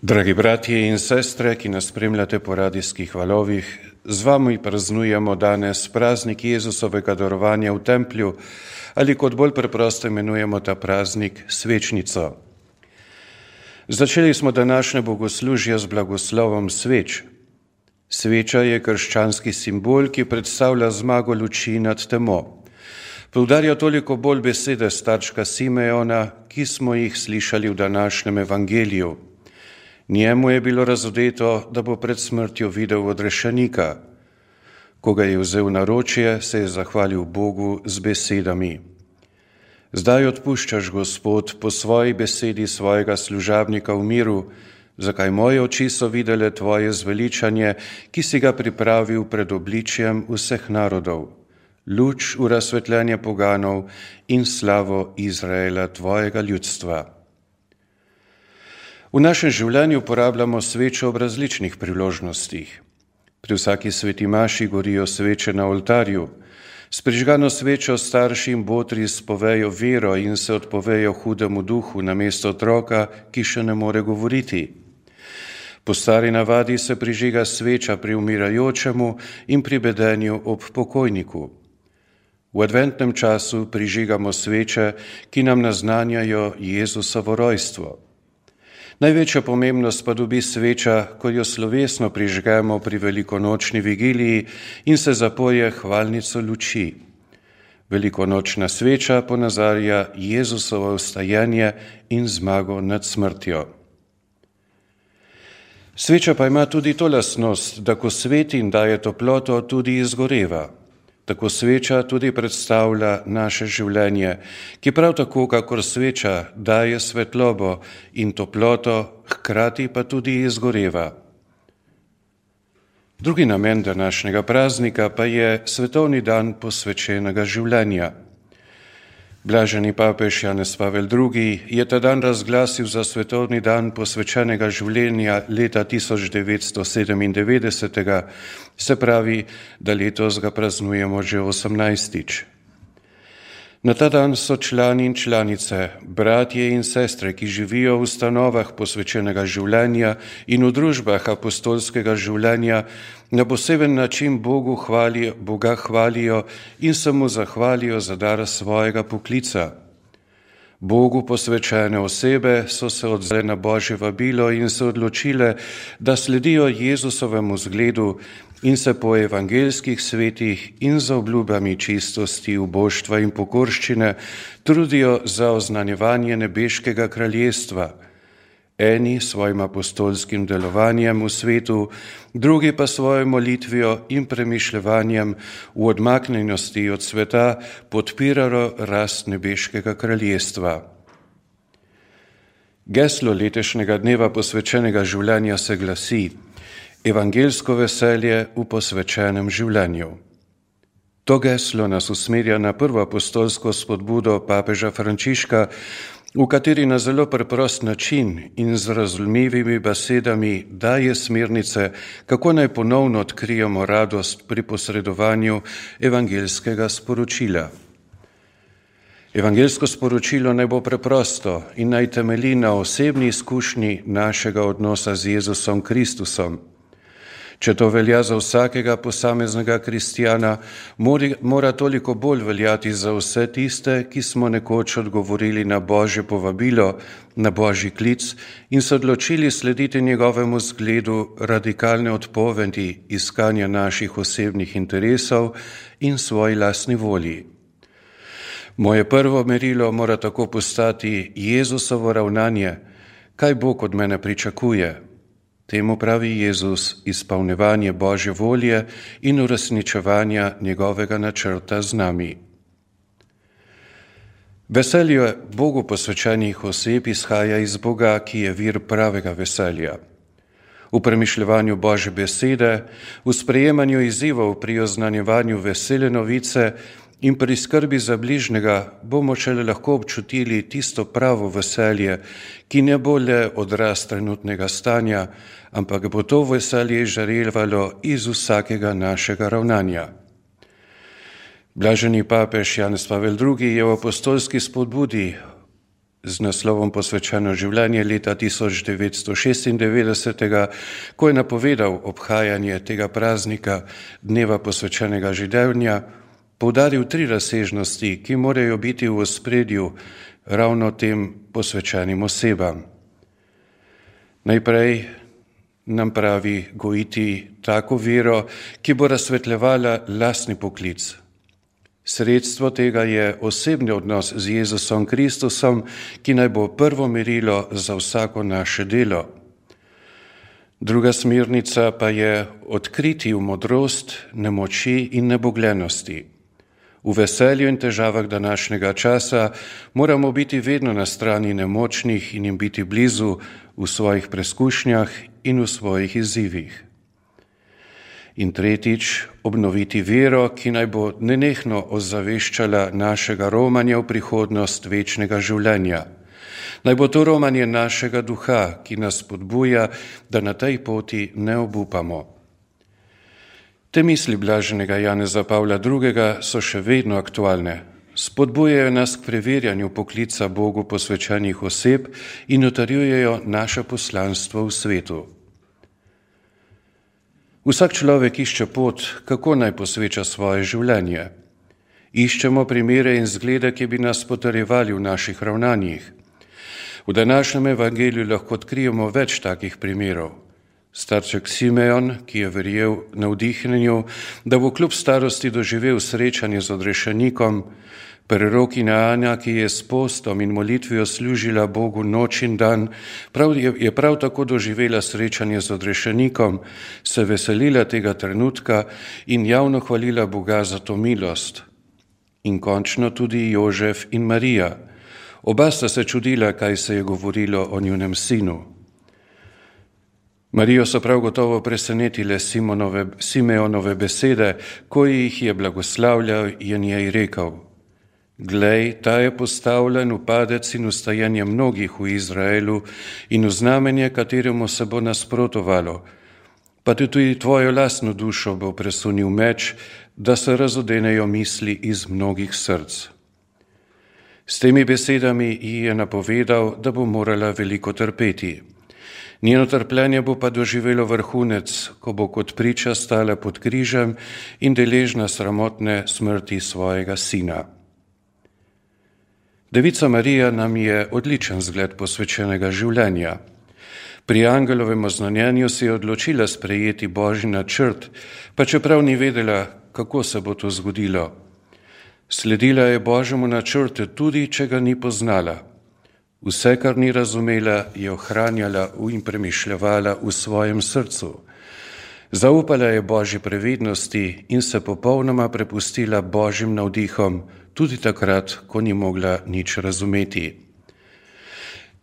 Dragi bratje in sestre, ki nas spremljate po radijskih valovih, z vami praznujemo danes praznik Jezusovega darovanja v templju, ali kot bolj preprosto imenujemo ta praznik svečnico. Začeli smo današnje bogoslužje z blagoslovom sveč. Sveča je krščanski simbol, ki predstavlja zmago luči nad temo. Poudarja toliko bolj besede starčka Simeona, ki smo jih slišali v današnjem evangeliju. Njemu je bilo razodeto, da bo pred smrtjo videl odrešenika. Ko ga je vzel naročje, se je zahvalil Bogu z besedami: Zdaj odpuščaš, Gospod, po svoji besedi svojega služabnika v miru, zakaj moje oči so videle tvoje zveličanje, ki si ga pripravil pred obličjem vseh narodov, luč v razsvetljenje poganov in slavo Izraela, tvojega ljudstva. V našem življenju uporabljamo svečo ob različnih priložnostih. Pri vsaki sveti maši gorijo sveče na oltarju. S prižgano svečo starši in botri spovejo vero in se odpovejo hudemu duhu namesto otroka, ki še ne more govoriti. Po stari navadi se prižiga sveča pri umirajočemu in pri bedenju ob pokojniku. V adventnem času prižigamo sveče, ki nam naznanjajo Jezusovo rojstvo. Največja pomembnost pa dobi sveča, ko jo slovesno prižgemo pri velikonočni vigiliji in se zapoje hvalnico luči. Velikonočna sveča ponazarja Jezusovo vstajenje in zmago nad smrtjo. Sveča pa ima tudi to lastnost, da ko sveti in daje toploto, tudi izgoreva. Tako sveča tudi predstavlja naše življenje, ki prav tako, kakor sveča, daje svetlobo in toploto, hkrati pa tudi izgoreva. Drugi namen današnjega praznika pa je svetovni dan posvečenega življenja. Blaženi papež Janez Pavel II. Je ta dan razglasil za svetovni dan posvečenega življenja leta 1997, se pravi, da letos ga praznujemo že 18. Na ta dan so člani in članice, bratje in sestre, ki živijo v ustanovah posvečenega življenja in v družbah apostolskega življenja, na poseben način Boga hvalijo in se mu zahvalijo za dar svojega poklica. Bogu posvečene osebe so se odzvale na Božje vabilo in se odločile, da sledijo Jezusovemu zgledu in se po evangeljskih svetih in za obljubami čistosti, uboštva in pokorščine trudijo za oznanjevanje nebeškega kraljestva. Eni svojim apostolskim delovanjem v svetu, drugi pa svojo molitvijo in premišljevanjem v odmaknjenosti od sveta podpirajo rast nebeškega kraljestva. Geslo letošnjega dneva posvečenega življenja se glasi: Evangeljsko veselje v posvečenem življenju. To geslo nas usmerja na prvo apostolsko spodbudo papeža Frančiška, v kateri na zelo preprost način in z razumljivimi besedami daje smernice, kako naj ponovno odkrijemo radost pri posredovanju evangeljskega sporočila. Evangeljsko sporočilo naj bo preprosto in naj temelji na osebni izkušnji našega odnosa z Jezusom Kristusom. Če to velja za vsakega posameznega kristjana, mora toliko bolj veljati za vse tiste, ki smo nekoč odgovorili na Božje povabilo, na Božji klic in se odločili slediti njegovemu zgledu radikalne odpovedi iskanja naših osebnih interesov in svoji lastni volji. Moje prvo merilo mora tako postati Jezusovo ravnanje, kaj Bog od mene pričakuje. Temu pravi Jezus izpolnjevanje Božje volje in uresničevanja njegovega načrta z nami. Veselje Bogu posvečenih oseb izhaja iz Boga, ki je vir pravega veselja. V premišljevanju Božje besede, v sprejemanju izzivov pri oznanjevanju vesele novice in pri skrbi za bližnjega bomo šele lahko občutili tisto pravo veselje, ki ne bo le odraz trenutnega stanja, ampak bo to veselje žarevalo iz vsakega našega ravnanja. Blaženi papež Janez Pavel II. Je v apostolski spodbudi z naslovom Posvečeno življenje leta 1996, ko je napovedal obhajanje tega praznika, dneva posvečenega življenja, poudaril 3 razsežnosti, ki morajo biti v ospredju ravno tem posvečenim osebam. Najprej nam pravi gojiti tako vero, ki bo razsvetljevala lastni poklic. Sredstvo tega je osebni odnos z Jezusom Kristusom, ki naj bo prvo merilo za vsako naše delo. Druga smernica pa je odkriti v modrost, nemoči in nebogljenosti. V veselju in težavah današnjega časa moramo biti vedno na strani nemočnih in jim biti blizu v svojih preskušnjah in v svojih izzivih. In tretjič, obnoviti vero, ki naj bo nenehno ozaveščala našega romanja v prihodnost večnega življenja. Naj bo to romanje našega duha, ki nas spodbuja, da na tej poti ne obupamo. Te misli blaženega Janeza Pavla II. So še vedno aktualne. Spodbujajo nas k preverjanju poklica Bogu posvečenih oseb in utrjujejo naše poslanstvo v svetu. Vsak človek išče pot, kako naj posveča svoje življenje. Iščemo primere in zglede, ki bi nas potrjevali v naših ravnanjih. V današnjem evangeliju lahko odkrijemo več takih primerov. Starček Simeon, ki je verjel navdihnjenju, da bo kljub starosti doživel srečanje z odrešenikom, prerokinja Anja, ki je s postom in molitvijo služila Bogu noč in dan, je prav tako doživela srečanje z odrešenikom, se veselila tega trenutka in javno hvalila Boga za to milost. In končno tudi Jožef in Marija. Oba sta se čudila, kaj se je govorilo o njunem sinu. Marijo so prav gotovo presenetile Simeonove besede, ko jih je blagoslavljal in njej rekel: Glej, ta je postavljen v padec in ustajenje mnogih v Izraelu in v znamenje, kateremu se bo nasprotovalo. Pa tudi tvojo lastno dušo bo presunil meč, da se razodenejo misli iz mnogih src. S temi besedami ji je napovedal, da bo morala veliko trpeti. Njeno trpljenje bo pa doživelo vrhunec, ko bo kot priča stala pod križem in deležna sramotne smrti svojega sina. Devica Marija nam je odličen zgled posvečenega življenja. Pri angelovem oznanjenju se je odločila sprejeti Božji načrt, pa čeprav ni vedela, kako se bo to zgodilo. Sledila je Božjemu načrtu, tudi če ga ni poznala. Vse, kar ni razumela, je ohranjala in premišljevala v svojem srcu. Zaupala je Božji previdnosti in se popolnoma prepustila Božjim navdihom, tudi takrat, ko ni mogla nič razumeti.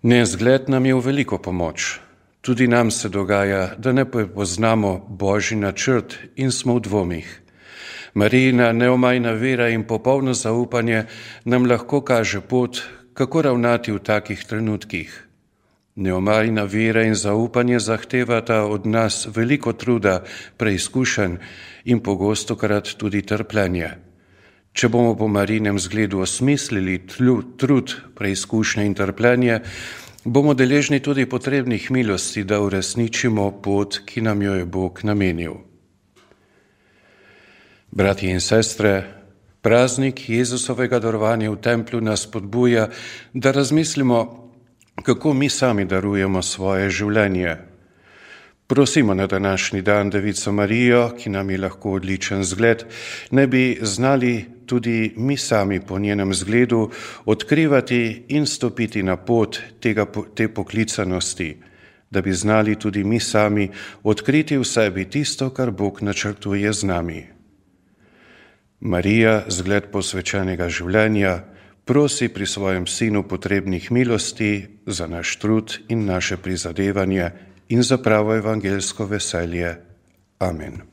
Njen zgled nam je v veliko pomoč. Tudi nam se dogaja, da ne prepoznamo Božji načrt in smo v dvomih. Marijina neomajna vera in popolno zaupanje nam lahko kaže pot, kako ravnati v takih trenutkih. Neomajna vera in zaupanje zahtevata od nas veliko truda, preizkušenj in pogostokrat tudi trpljenje. Če bomo po Marijinem zgledu osmislili trud, preizkušnje in trpljenje, bomo deležni tudi potrebnih milosti, da uresničimo pot, ki nam jo je Bog namenil. Bratje in sestre, praznik Jezusovega darovanja v templju nas spodbuja, da razmislimo, kako mi sami darujemo svoje življenje. Prosimo na današnji dan Devico Marijo, ki nam je lahko odličen zgled, ne bi znali tudi mi sami po njenem zgledu odkrivati in stopiti na pot te poklicanosti, da bi znali tudi mi sami odkriti v sebi tisto, kar Bog načrtuje z nami. Marija, zgled posvečenega življenja, prosi pri svojem sinu potrebnih milosti za naš trud in naše prizadevanje in za pravo evangelsko veselje. Amen.